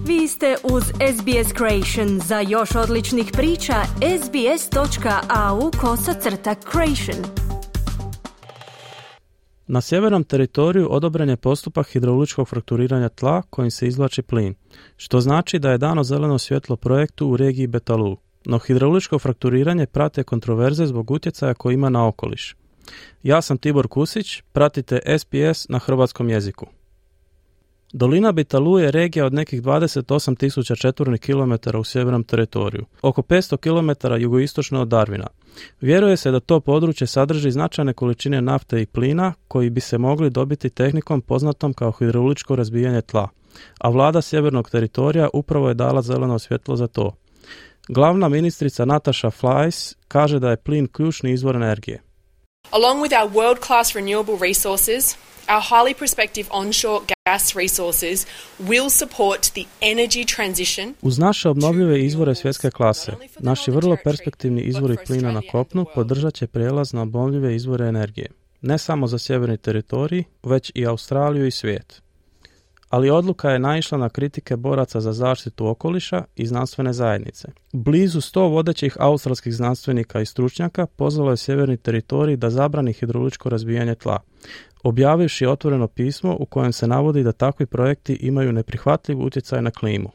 Vi ste uz SBS Creation. Za još odličnih priča, sbs.au/creation. Na sjevernom teritoriju odobren je postupak hidrauličkog frakturiranja tla kojim se izvlači plin, što znači da je dano zeleno svjetlo projektu u regiji Beetaloo. No hidrauličko frakturiranje prate kontroverze zbog utjecaja koji ima na okoliš. Ja sam Tibor Kusić, pratite SBS na hrvatskom jeziku. Dolina Beetaloo je regija od nekih 28.000 četvornih kilometara u sjevernom teritoriju, oko 500 km jugoistočno od Darwina. Vjeruje se da to područje sadrži značajne količine nafte i plina koji bi se mogli dobiti tehnikom poznatom kao hidrauličko razbijanje tla, a vlada sjevernog teritorija upravo je dala zeleno svjetlo za to. Glavna ministrica Natasha Flies kaže da je plin ključni izvor energije. Along with our world-class renewable resources, our highly prospective onshore gas resources will support the energy transition. Uz naše obnovljive izvore svjetske klase, naši vrlo perspektivni izvori plina na kopnu podržat će prijelaz na obnovljive izvore energije, ne samo za sjeverni teritorij, već i Australiju i svijet. Ali odluka je naišla na kritike boraca za zaštitu okoliša i znanstvene zajednice. Blizu 100 vodećih australskih znanstvenika i stručnjaka pozvalo je sjeverni teritorij da zabrani hidrauličko razbijanje tla, objavivši otvoreno pismo u kojem se navodi da takvi projekti imaju neprihvatljiv utjecaj na klimu.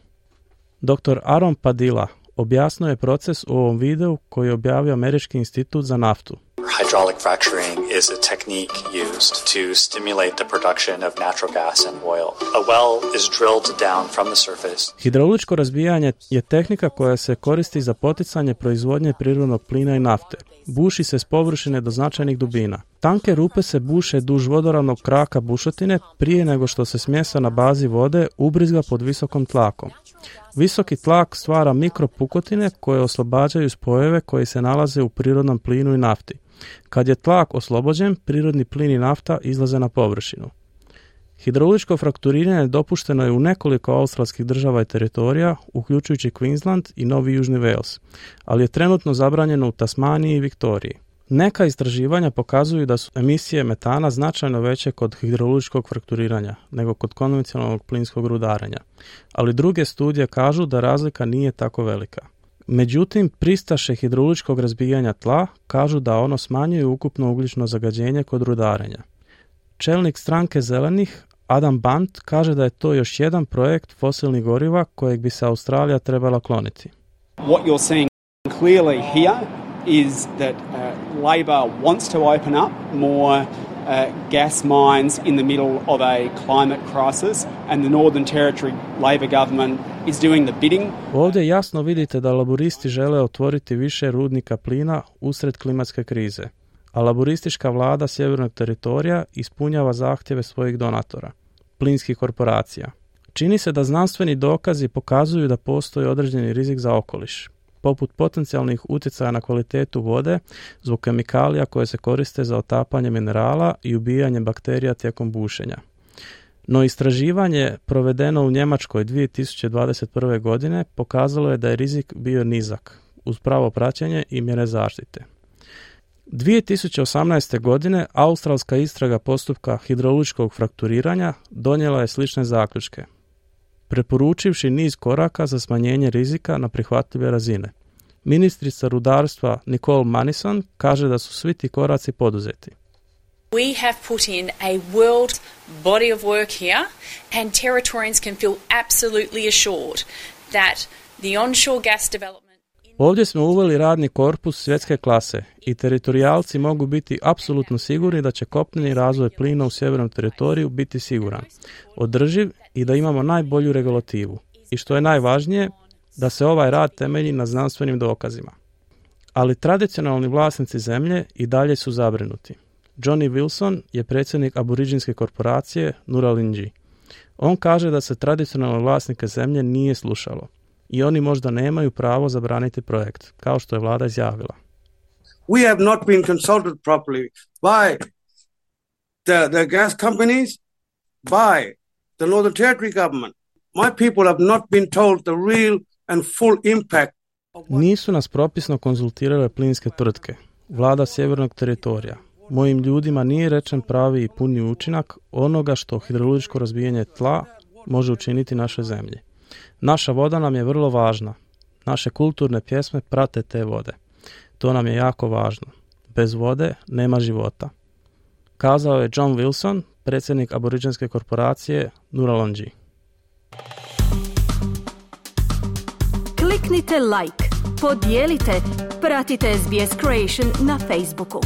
Dr. Aaron Padilla objasnio je proces u ovom videu koji je objavio Američki institut za naftu. Hydraulic fracturing is a technique used to stimulate the production of natural gas and oil. A well is drilled down from the surface. Hidrauličko razbijanje je tehnika koja se koristi za poticanje proizvodnje prirodnog plina i nafte. Buši se s površine do značajnih dubina. Tanke rupe se buše duž vodoravnog kraka bušotine prije nego što se smjesa na bazi vode ubrizga pod visokom tlakom. Visoki tlak stvara mikropukotine koje oslobađaju spojeve koji se nalaze u prirodnom plinu i nafti. Kad je tlak oslobođen, prirodni plin i nafta izlaze na površinu. Hidrauličko frakturiranje dopušteno je u nekoliko australskih država i teritorija, uključujući Queensland i Novi Južni Wales, ali je trenutno zabranjeno u Tasmaniji i Viktoriji. Neka istraživanja pokazuju da su emisije metana značajno veće kod hidrauličkog frakturiranja nego kod konvencionalnog plinskog rudarenja, ali druge studije kažu da razlika nije tako velika. Međutim, pristaše hidrauličkog razbijanja tla kažu da ono smanjuje ukupno ugljično zagađenje kod rudarenja. Čelnik stranke zelenih, Adam Bant, kaže da je to još jedan projekt fosilnih goriva kojeg bi se Australija trebala kloniti. What you're seeing clearly here is that Labor wants to open up more gas mines in the middle of a climate crisis, and the Northern Territory Labor government is doing the bidding. Ovdje jasno vidite da laburisti žele otvoriti više rudnika plina usred klimatske krize, a laburistička vlada sjevernog teritorija ispunjava zahtjeve svojih donatora, plinskih korporacija. Čini se da znanstveni dokazi pokazuju da postoji određeni rizik za okoliš, poput potencijalnih utjecaja na kvalitetu vode zbog kemikalija koje se koriste za otapanje minerala i ubijanje bakterija tijekom bušenja. No istraživanje provedeno u Njemačkoj 2021. godine pokazalo je da je rizik bio nizak, uz pravo praćenje i mjere zaštite. 2018. godine australska istraga postupka hidrauličkog frakturiranja donijela je slične zaključke, preporučivši niz koraka za smanjenje rizika na prihvatljive razine. Ministrica rudarstva Nicole Manison kaže da su svi ti koraci poduzeti. We have put in a world body of work here, and Territorians can feel absolutely assured that the onshore gas development. Ovdje smo uveli radni korpus svjetske klase i teritorijalci mogu biti apsolutno sigurni da će kopneni razvoj plina u sjevernom teritoriju biti siguran, održiv i da imamo najbolju regulativu. I što je najvažnije, da se ovaj rad temelji na znanstvenim dokazima. Ali tradicionalni vlasnici zemlje i dalje su zabrinuti. Johnny Wilson je predsjednik aboriđinske korporacije Nurralingi. On kaže da se tradicionalne vlasnike zemlje nije slušalo i oni možda nemaju pravo zabraniti projekt, kao što je vlada izjavila. We have not been consulted properly by the gas companies, by the Northern Territory government. My people have not been told the real and full impact. Nisu nas propisno konzultirale plinske tvrtke, vlada sjevernog teritorija. Mojim ljudima nije rečen pravi i puni učinak onoga što hidrauličko razbijanje tla može učiniti našoj zemlji. Naša voda nam je vrlo važna. Naše kulturne pjesme prate te vode. To nam je jako važno. Bez vode nema života. Kazao je John Wilson, predsjednik aboriđinske korporacije Nuralonji. Kliknite like, podijelite, pratite SBS Creation na Facebooku.